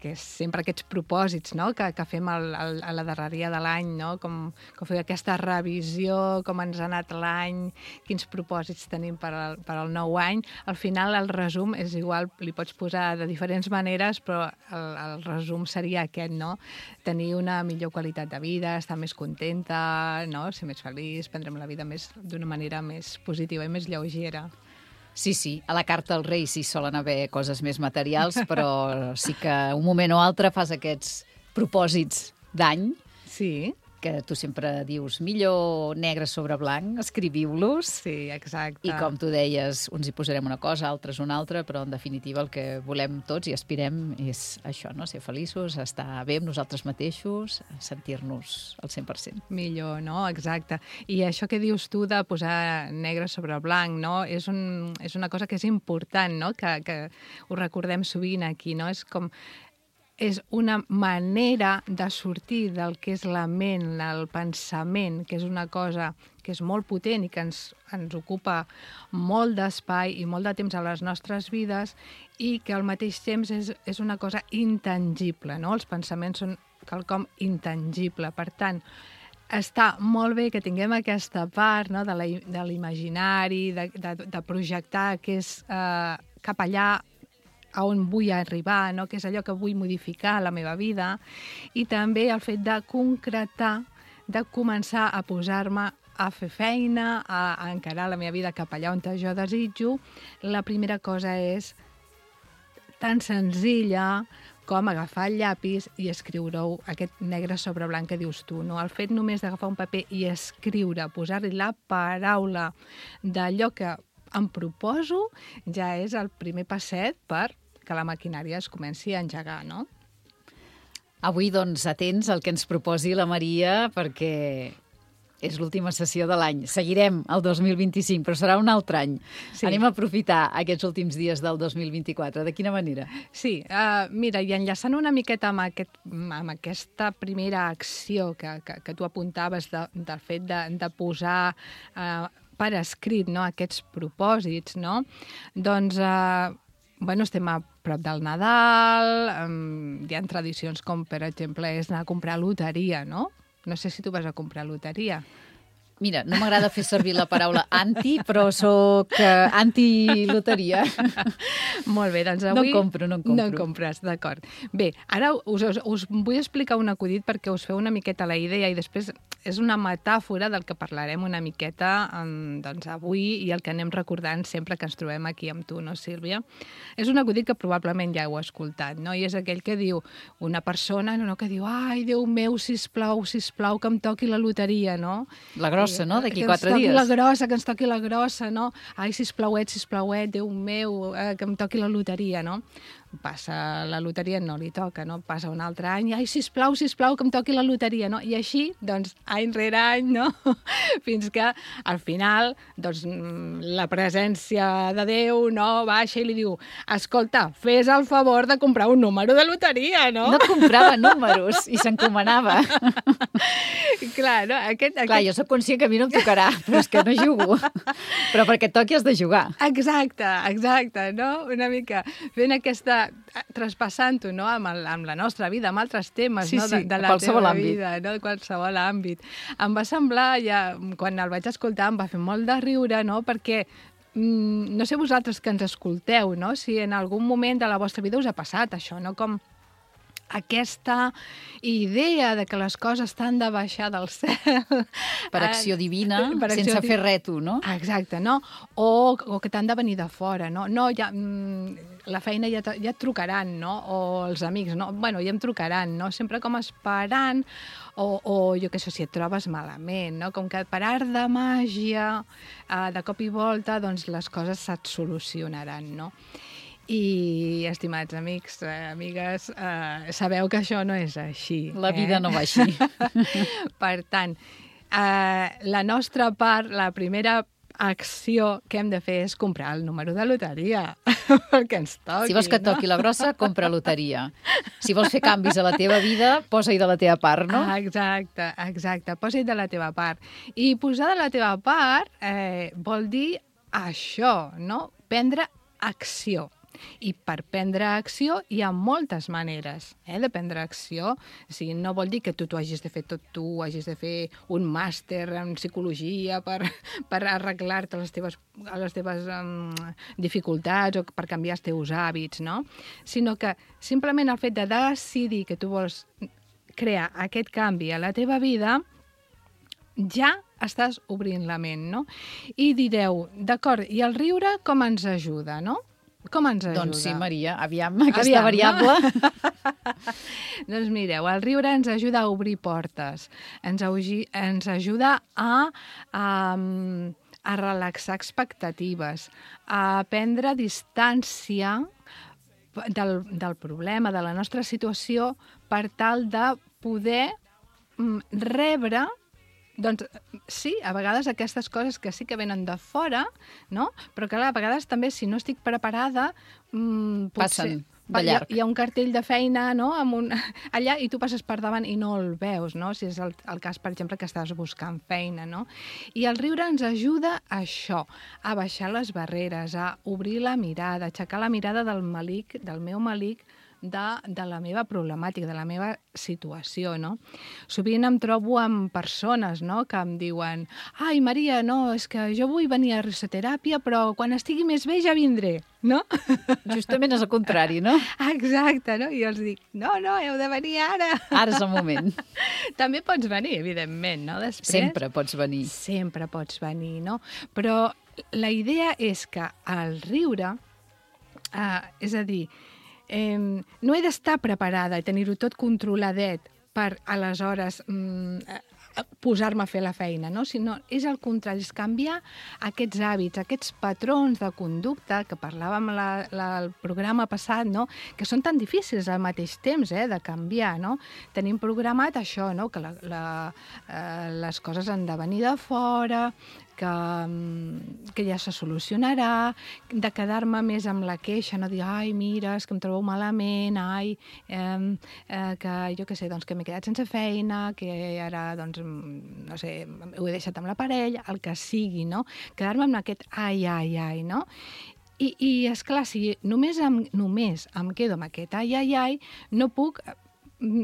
que és sempre aquests propòsits, no?, que fem a la darreria de l'any, no?, com fer aquesta revisió, com ens ha anat l'any, quins propòsits tenim per al nou any. Al final el resum és igual, li pots posar de diferents maneres, però el resum seria aquest, no?, tenir una millor qualitat de vida, estar més contenta, no?, ser més feliç, prendre'm la vida d'una manera més positiva i més lleugera. Sí, a la carta als Reis hi solen haver coses més materials, però sí que un moment o altre fas aquests propòsits d'any. Sí. Que tu sempre dius, millor negre sobre blanc, escriviu-los. Sí, exacte. I com tu deies, uns hi posarem una cosa, altres una altra, però en definitiva el que volem tots i aspirem és això, no?, ser feliços, estar bé amb nosaltres mateixos, sentir-nos al 100%. Millor, no? Exacte. I això que dius tu de posar negre sobre blanc, no?, és una cosa que és important, no?, que ho recordem sovint aquí, no? És una manera de sortir del que és la ment, el pensament, que és una cosa que és molt potent i que ens ocupa molt d'espai i molt de temps a les nostres vides i que al mateix temps és una cosa intangible, no? Els pensaments són quelcom intangible. Per tant, està molt bé que tinguem aquesta part, no?, de l'imaginari, de projectar que és cap allà a on vull arribar, no?, que és allò que vull modificar a la meva vida, i també el fet de concretar, de començar a posar-me a fer feina, a encarar la meva vida cap allà on jo desitjo. La primera cosa és tan senzilla com agafar el llapis i escriure-ho, aquest negre sobre blanc que dius tu, no? El fet només d'agafar un paper i escriure, posar-li la paraula d'allò que em proposo, ja és el primer passet per que la maquinària es comenci a engegar, no? Avui, doncs, atents al que ens proposi la Maria, perquè és l'última sessió de l'any. Seguirem el 2025, però serà un altre any. Sí. Anem a aprofitar aquests últims dies del 2024. De quina manera? Sí, mira, i enllaçant una miqueta amb aquesta primera acció que tu apuntaves del fet de posar per escrit, no?, aquests propòsits, no? Doncs estem a prop del Nadal, hi ha tradicions com, per exemple, és anar a comprar loteria, no? No sé si tu vas a comprar loteria. Mira, no m'agrada fer servir la paraula anti, però soc anti-loteria. Molt bé, doncs avui... No compro. No en compres, d'acord. Bé, ara us vull explicar un acudit perquè us feu una miqueta la idea i després és una metàfora del que parlarem una miqueta doncs, avui i el que anem recordant sempre que ens trobem aquí amb tu, no, Sílvia? És un acudit que probablement ja heu escoltat, no? I és aquell que diu una persona que diu ai, Déu meu, sisplau, que em toqui la loteria, no? La grossa, no? D'aquí 4 dies. Que ens toqui la grossa, no? Ai, sisplau, Déu meu, que em toqui la loteria, no? passa la loteria, no li toca, no? Passa un altre any, ai, sisplau, que em toqui la loteria, no? I així, doncs, any rere any, no? Fins que, al final, doncs, la presència de Déu, no?, baixa i li diu, escolta, fes el favor de comprar un número de loteria, no? No comprava números i s'encomanava. Clar, no? Clar, jo soc conscient que a mi no em tocarà, però és que no jugo. Però perquè et toqui has de jugar. Exacte, no? Una mica fent aquesta... traspassant-ho, no?, amb la nostra vida, amb altres temes, sí, no?, sí, de la teva vida, no?, de qualsevol àmbit. Em va semblar, ja, quan el vaig escoltar, em va fer molt de riure, no?, perquè no sé vosaltres que ens escolteu, no?, si en algun moment de la vostra vida us ha passat això, no?, com aquesta idea de que les coses t'han de baixar del cel... Per acció divina, sense fer res tu, no? Exacte, no? O que t'han de venir de fora, no? No, ja, la feina ja et trucaran, no? O els amics, no? Bueno, ja em trucaran, no? Sempre com esperant, o jo què sé, si et trobes malament, no? Com que per art de màgia, de cop i volta, doncs les coses se't solucionaran, no? I, estimats amics, amigues, sabeu que això no és així. La vida no va així. Per tant, la nostra part, la primera acció que hem de fer és comprar el número de loteria, perquè ens toqui. Si vols que toqui la grossa, compra loteria. Si vols fer canvis a la teva vida, posa-hi de la teva part, no? Exacte, posa-hi de la teva part. I posar de la teva part vol dir això, no? Prendre acció. I per prendre acció hi ha moltes maneres de prendre acció. O sigui, no vol dir que tu hagis de fer tot tu, hagis de fer un màster en psicologia per arreglar-te les teves dificultats o per canviar els teus hàbits, no? Sinó que simplement el fet de decidir que tu vols crear aquest canvi a la teva vida ja estàs obrint la ment, no? I direu, d'acord, i el riure com ens ajuda, no? Com ens ajuda? Doncs sí, Maria, aviam aquesta variable. No? Doncs mireu, el riure ens ajuda a obrir portes, ens ajuda a relaxar expectatives, a prendre distància del problema, de la nostra situació, per tal de poder rebre. Doncs sí, a vegades aquestes coses que sí que venen de fora, no? Però que a vegades també, si no estic preparada, passen de llarg. Hi ha un cartell de feina, no?, allà, i tu passes per davant i no el veus, no? Si és el cas, per exemple, que estàs buscant feina, no? I el riure ens ajuda a això, a baixar les barreres, a obrir la mirada, a aixecar la mirada del meu malic, de la meva problemàtica, de la meva situació, no? Sovint em trobo amb persones, no?, que em diuen, ai, Maria, no, és que jo vull venir a risoteràpia, però quan estigui més bé ja vindré, no? Justament és el contrari, no? Exacte, no? I jo els dic, no, heu de venir ara. Ara és el moment. També pots venir, evidentment, no? Després, sempre pots venir. Sempre pots venir, no? Però la idea és que el riure, és a dir, no he d'estar preparada i tenir-ho tot controladet per, aleshores, posar-me a fer la feina, no? Sinó és el contrari, és canviar aquests hàbits, aquests patrons de conducta que parlàvem al programa passat, no?, que són tan difícils al mateix temps de canviar, no? Tenim programat això, no?, que les coses han de venir de fora, que ja se solucionarà, de quedar-me més amb la queixa, no dir, ai, mira, és que em trobo malament, ai, que jo què sé, doncs que m'he quedat sense feina, que ara, doncs, no sé, ho he deixat amb la parella, el que sigui, no? Quedar-me amb aquest ai, no? I esclar, si només em quedo amb aquest ai, no puc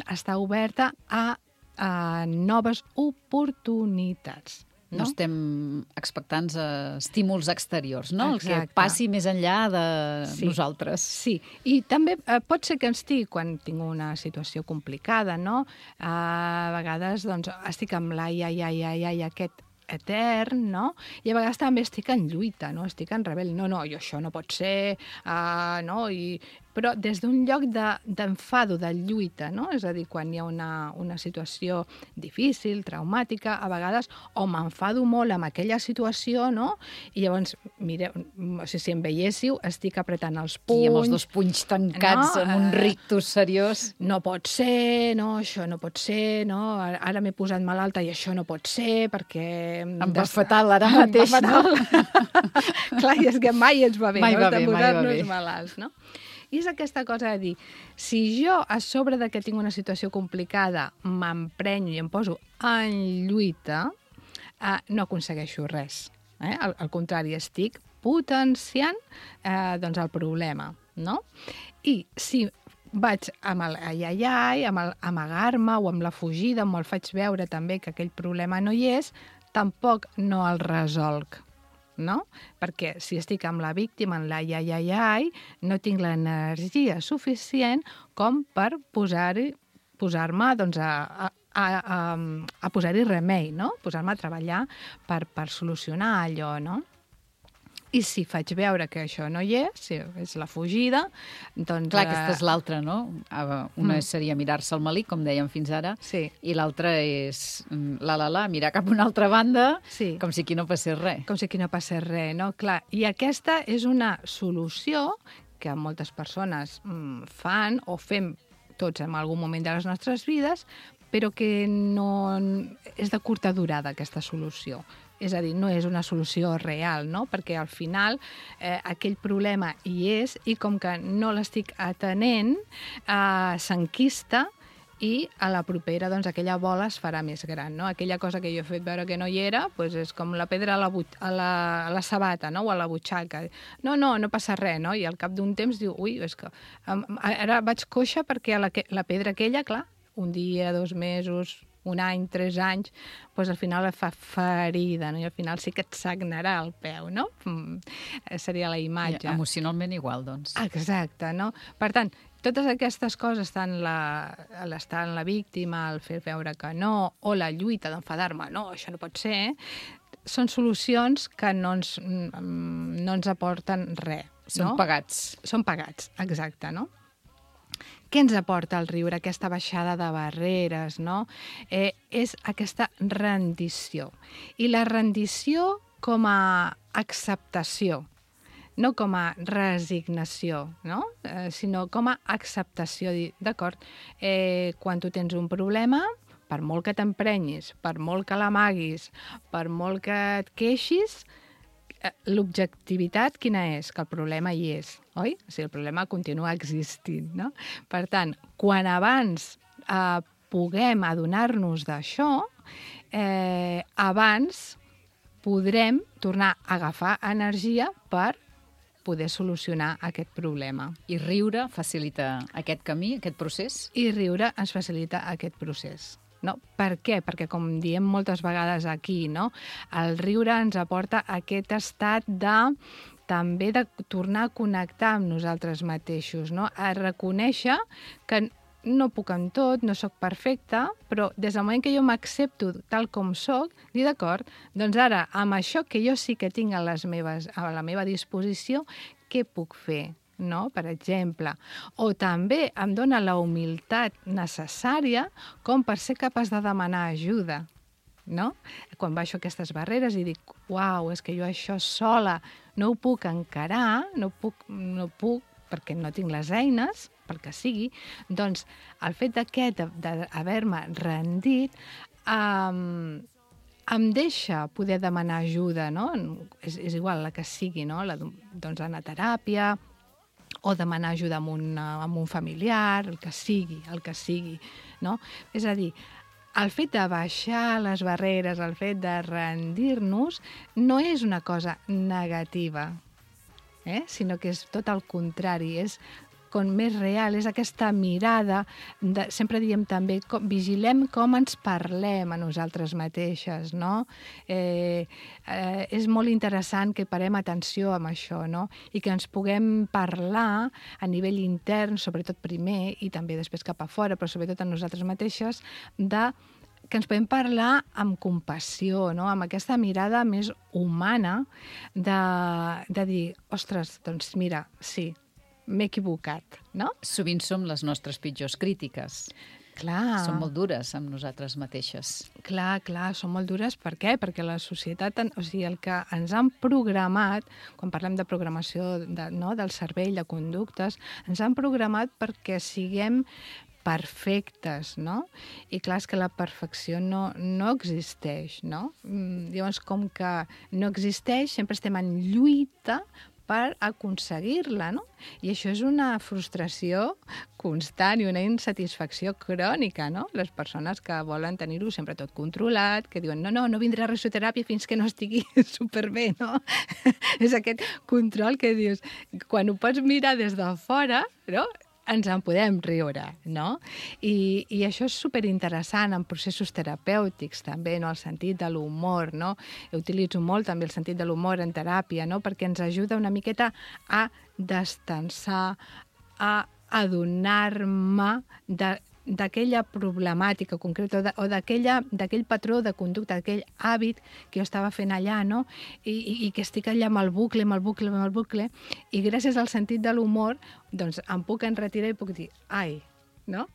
estar oberta a noves oportunitats. No estem expectants a estímuls exteriors, no? Exacte. El que passi més enllà de nosaltres. Sí, i també pot ser que estigui, quan tinc una situació complicada, no? A vegades doncs, estic amb l'ai, aquest etern, no? I a vegades també estic en lluita, no? Estic en rebel. No, jo això no pot ser, no? I però des d'un lloc d'enfado, de lluita, no? És a dir, quan hi ha una situació difícil, traumàtica, a vegades, o m'enfado molt amb aquella situació, no? I llavors, mireu, si em veiéssiu, estic apretant els punys... I amb els dos punys tancats, amb un rictus seriós. No pot ser, no, això no pot ser, no? Ara m'he posat malalta i això no pot ser, perquè... Em va fatal ara mateix, no? Clar, i és que mai ens va bé, mai no? Va bé, de posar-nos malalts, no? I és aquesta cosa de dir, si jo a sobre de que tinc una situació complicada m'emprenyo i em poso en lluita, no aconsegueixo res. Al contrari, estic potenciant doncs el problema, no? I si vaig amb el ai-ai-ai, amb amagar-me o amb la fugida, me'l faig veure també que aquell problema no hi és, tampoc no el resolc. No? Perquè si estic amb la víctima, en l'ai-ai-ai, no tinc l'energia suficient com per posar-me doncs, a posar-hi remei, no? Posar-me a treballar per solucionar allò, no? I si faig veure que això no hi és, si és la fugida, doncs... Clar, aquesta és l'altra, no? Una seria mirar-se el melic, com dèiem fins ara, i l'altra és mirar cap a una altra banda, com si aquí no passés res. Com si aquí no passés res, no? Clar, i aquesta és una solució que moltes persones fan o fem tots en algun moment de les nostres vides, però que no és de curta durada, aquesta solució. És a dir, no és una solució real, no? Perquè al final aquell problema hi és i com que no l'estic atenent, s'enquista i a la propera doncs, aquella bola es farà més gran, no? Aquella cosa que jo he fet veure que no hi era doncs és com la pedra a la sabata, no? O a la butxaca. No passa res, no? I al cap d'un temps diu, ui, és que ara vaig coixa perquè la pedra aquella, clar, un dia, 2 mesos, un any, 3 anys, doncs al final et fa ferida, no? I al final sí que et sagnarà el peu, no? Seria la imatge. Emocionalment igual, doncs. Exacte, no? Per tant, totes aquestes coses, tant l'estar en la víctima, el fer veure que no, o la lluita d'enfadar-me, no, això no pot ser, són solucions que no ens aporten res. Són pagats. Són pagats, exacte, no? Què ens aporta el riure, aquesta baixada de barreres, no? És aquesta rendició. I la rendició com a acceptació, no com a resignació, no? Sinó com a acceptació. D'acord, quan tu tens un problema, per molt que t'emprenyis, per molt que l'amaguis, per molt que et queixis, l'objectivitat quina és? Que el problema hi és, oi? O sigui, el problema continua existint, no? Per tant, quan abans puguem adonar-nos d'això, abans podrem tornar a agafar energia per poder solucionar aquest problema. I riure facilita aquest camí, aquest procés? I riure ens facilita aquest procés. No? Per què? Perquè, com diem moltes vegades aquí, no? El riure ens aporta aquest estat també de tornar a connectar amb nosaltres mateixos, no? A reconèixer que no puc en tot, no sóc perfecta, però des del moment que jo m'accepto tal com sóc, dir d'acord, doncs ara, amb això que jo sí que tinc a la meva disposició, què puc fer? No? Per exemple, o també em dona la humilitat necessària com per ser capaç de demanar ajuda, no? Quan baixo aquestes barreres i dic, uau, és que jo això sola no ho puc encarar, no puc perquè no tinc les eines, pel que sigui, doncs el fet d'haver-me rendit em deixa poder demanar ajuda, no? És igual la que sigui, no? Doncs anar a teràpia, o demanar ajuda amb un familiar, el que sigui, no? És a dir, el fet de baixar les barreres, el fet de rendir-nos, no és una cosa negativa, sinó que és tot el contrari, és com més real, és aquesta mirada, sempre diem també, vigilem com ens parlem a nosaltres mateixes, no? És molt interessant que parem atenció amb això, no? I que ens puguem parlar a nivell intern, sobretot primer, i també després cap a fora, però sobretot a nosaltres mateixes, que ens podem parlar amb compassió, no? Amb aquesta mirada més humana de dir, ostres, doncs mira, sí, m'he equivocat, no? Sovint som les nostres pitjors crítiques. Clar. Som molt dures amb nosaltres mateixes. Clar, són molt dures. Per què? Perquè la societat, o sigui, el que ens han programat, quan parlem de programació del cervell, de conductes, ens han programat perquè siguem perfectes, no? I clar, és que la perfecció no existeix, no? Llavors, com que no existeix, sempre estem en lluita per aconseguir-la, no? I això és una frustració constant i una insatisfacció crònica, no? Les persones que volen tenir-ho sempre tot controlat, que diuen no vindrà a risoteràpia fins que no estigui superbé, no? És aquest control que dius, quan ho pots mirar des de fora, no?, ens en podem riure, no? I això és superinteressant en processos terapèutics, també, no? El sentit de l'humor, no? Utilitzo molt també el sentit de l'humor en teràpia, no? Perquè ens ajuda una miqueta a destensar, a adonar-me d'aquella problemàtica concreta o d'aquell patró de conducta, d'aquell hàbit que jo estava fent allà, no? I que estic allà amb el bucle, i gràcies al sentit de l'humor, doncs em puc enretirar i puc dir, ai, no?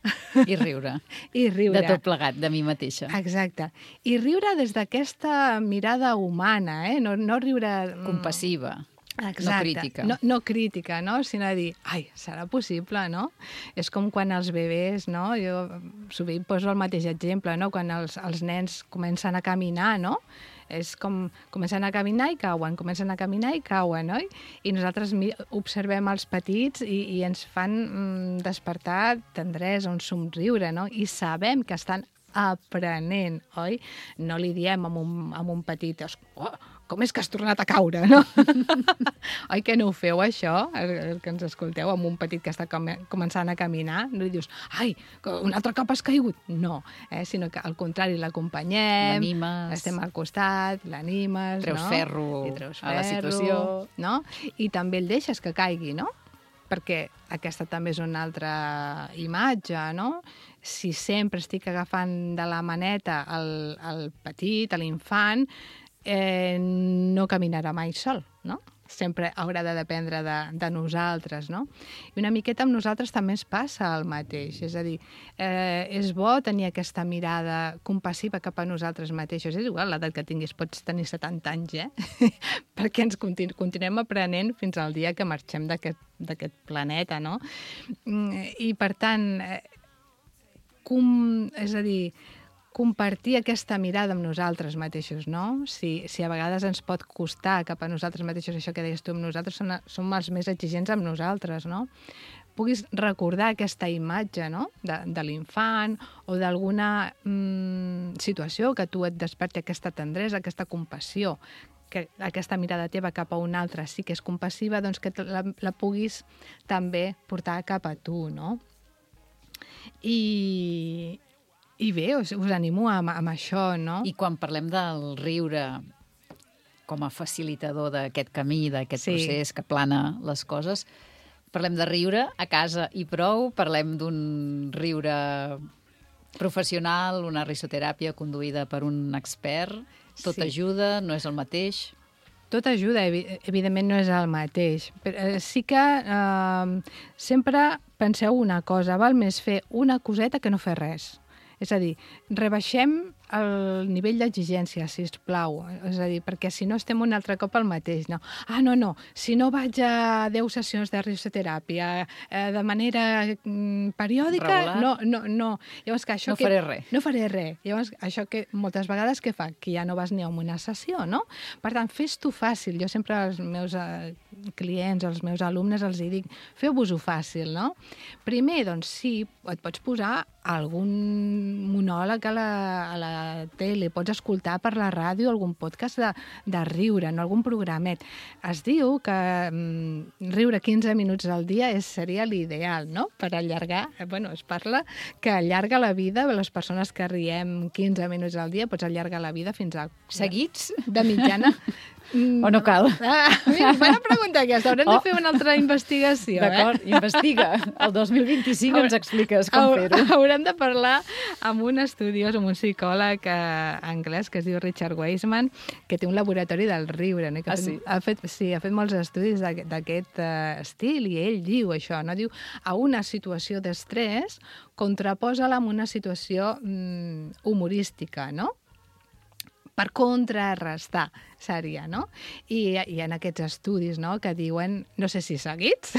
I riure. I riure. De tot plegat, de mi mateixa. Exacte. I riure des d'aquesta mirada humana, no riure... Compassiva. Exacte. No crítica. No crítica, no? Sinó dir, ai, serà possible, no? És com quan els bebès, no? Jo sovint poso el mateix exemple, no? Quan els nens comencen a caminar, no? És com comencen a caminar i cauen, no? I nosaltres observem els petits i ens fan despertar tendresa, un somriure, no? I sabem que estan aprenent, oi? No li diem amb un petit, com és que has tornat a caure, no? Oi que no ho feu, això, el que ens escolteu, amb un petit que està començant a caminar? No li dius, ai, un altre cop has caigut? No, sinó que al contrari, l'acompanyem, estem al costat, l'animes, treus ferro a la situació, no? I també el deixes que caigui, no? Perquè aquesta també és una altra imatge, no? Si sempre estic agafant de la maneta el petit, l'infant, no caminarà mai sol, no? Sempre haurà de dependre de nosaltres, no? I una miqueta amb nosaltres també ens passa el mateix. És a dir, és bo tenir aquesta mirada compassiva cap a nosaltres mateixos. És igual l'edat que tinguis, pots tenir 70 anys, perquè ens continuem aprenent fins al dia que marxem d'aquest planeta, no? I, per tant, és a dir, compartir aquesta mirada amb nosaltres mateixos, no? Si a vegades ens pot costar cap a nosaltres mateixos, això que deies tu, amb nosaltres som els més exigents amb nosaltres, no? Puguis recordar aquesta imatge, no?, de l'infant o d'alguna situació que tu et desperti aquesta tendresa, aquesta compassió, que aquesta mirada teva cap a un altre sí que és compassiva, doncs que la puguis també portar cap a tu, no? I bé, us animo amb això, no? I quan parlem del riure com a facilitador d'aquest camí, d'aquest procés que plana les coses, parlem de riure a casa i prou, parlem d'un riure professional, una risoteràpia conduïda per un expert, tot ajuda, no és el mateix? Tot ajuda, evidentment no és el mateix. Però sí que sempre penseu una cosa, val més fer una coseta que no fer res. És a dir, rebaixem el nivell d'exigència, sisplau. És a dir, perquè si no estem un altre cop al mateix, no? No, si no vaig a 10 sessions de risoteràpia de manera periòdica, no. Llavors, que això faré res. No faré res. Llavors, això que moltes vegades què fa? Que ja no vas ni a una sessió, no? Per tant, fes-t'ho fàcil. Jo sempre als meus clients, als meus alumnes, els dic, feu-vos-ho fàcil, no? Primer, doncs sí, et pots posar algun monòleg a la tele, pots escoltar per la ràdio algun podcast de riure, no algun programet. Es diu que riure 15 minuts al dia seria l'ideal, no? Per allargar, es parla que allarga la vida, les persones que riem 15 minuts al dia, pots allargar la vida fins a... Seguits? De mitjana. O no cal? Mira, bona pregunta aquesta. Haurem de fer una altra investigació, D'acord, investiga. El 2025 ens expliques com fer-ho. Haurem de parlar amb un estudiós, amb un psicòleg anglès que es diu Richard Wiseman, que té un laboratori del riure. No? Ha fet molts estudis d'aquest estil, i ell diu això, no? Diu, a una situació d'estrès contraposa-la amb una situació humorística, no? Per contrarrestar, seria, no? I en aquests estudis, no?, que diuen, no sé si seguits,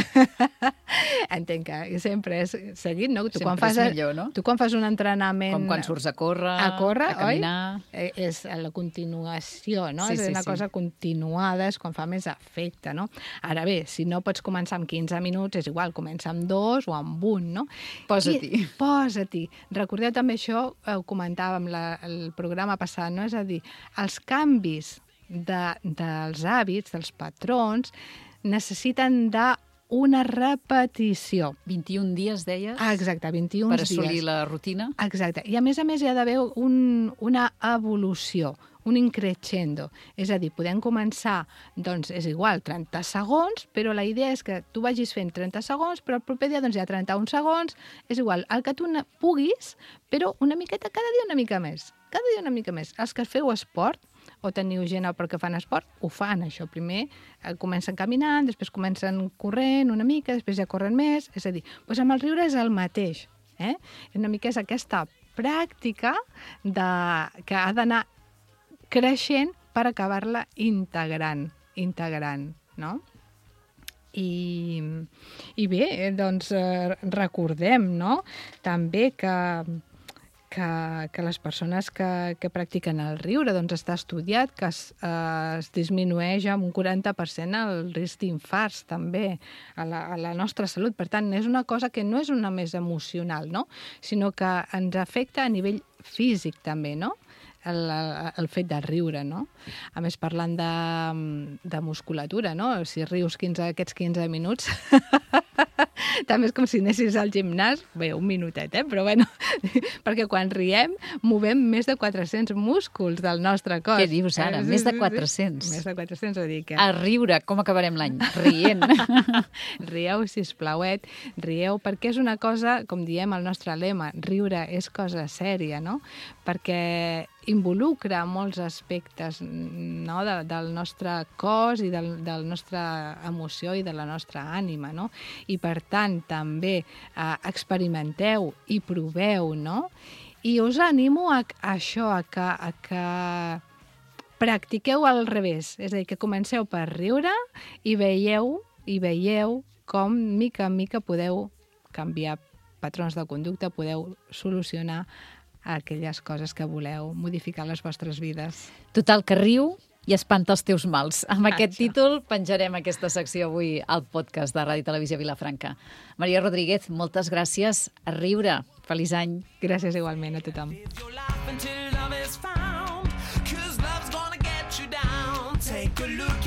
entenc que sempre és seguit, no? Sempre és millor, no? Tu quan fas un entrenament... Com quan surts a córrer, a caminar... Oi? És la continuació, no? És una cosa continuada, és quan fa més efecte, no? Ara bé, si no pots començar amb 15 minuts, és igual, comença amb 2 o amb 1, no? Posa-t'hi. Posa-t'hi. Recordeu també això, ho comentàvem el programa passat, no? És a dir, els canvis dels hàbits, dels patrons, necessiten d'una repetició. 21 dies, deies? Exacte, 21 dies. Per assolir la rutina? Exacte. I a més hi ha d'haver una evolució, un increixendo. És a dir, podem començar, doncs és igual, 30 segons, però la idea és que tu vagis fent 30 segons, però el proper dia doncs hi ha 31 segons, és igual, el que tu puguis, però una miqueta, cada dia una mica més. Cada dia una mica més. Els que feu esport, o teniu gent que fan esport, ho fan, això. Primer comencen caminant, després comencen corrent una mica, després ja corren més. És a dir, doncs amb el riure és el mateix. Una mica és aquesta pràctica que ha d'anar creixent per acabar-la integrant, no? I bé, doncs recordem, no?, també que les persones que practiquen el riure, doncs està estudiat que es disminueix amb un 40% el risc d'infarts també a la nostra salut. Per tant, és una cosa que no és una més emocional, no?, sinó que ens afecta a nivell físic també, no?, el fet de riure, no? A més, parlant de musculatura, no? Si rius aquests 15 minuts, també és com si anessis al gimnàs, bé, un minutet, però bueno, perquè quan riem movem més de 400 músculs del nostre cos. Què dius ara? Més de 400? Més de 400, vull dir que... A riure, com acabarem l'any? Rient. Rieu, sisplau, rieu, perquè és una cosa, com diem el nostre lema, riure és cosa sèria, no? Perquè involucra molts aspectes, no?, del nostre cos i del nostre emoció i de la nostra ànima, no? I per tant també experimenteu i proveu, no? I us animo a això, a que practiqueu al revés, és a dir, que comenceu per riure i veieu com mica en mica podeu canviar patrons de conducta, podeu solucionar aquelles coses que voleu modificar les vostres vides. Total, que riu i espanta els teus mals. Amb aquest títol penjarem aquesta secció avui al podcast de Ràdio Televisió Vilafranca. Maria Rodríguez, moltes gràcies. A riure. Feliç any. Gràcies igualment a tothom. Take a look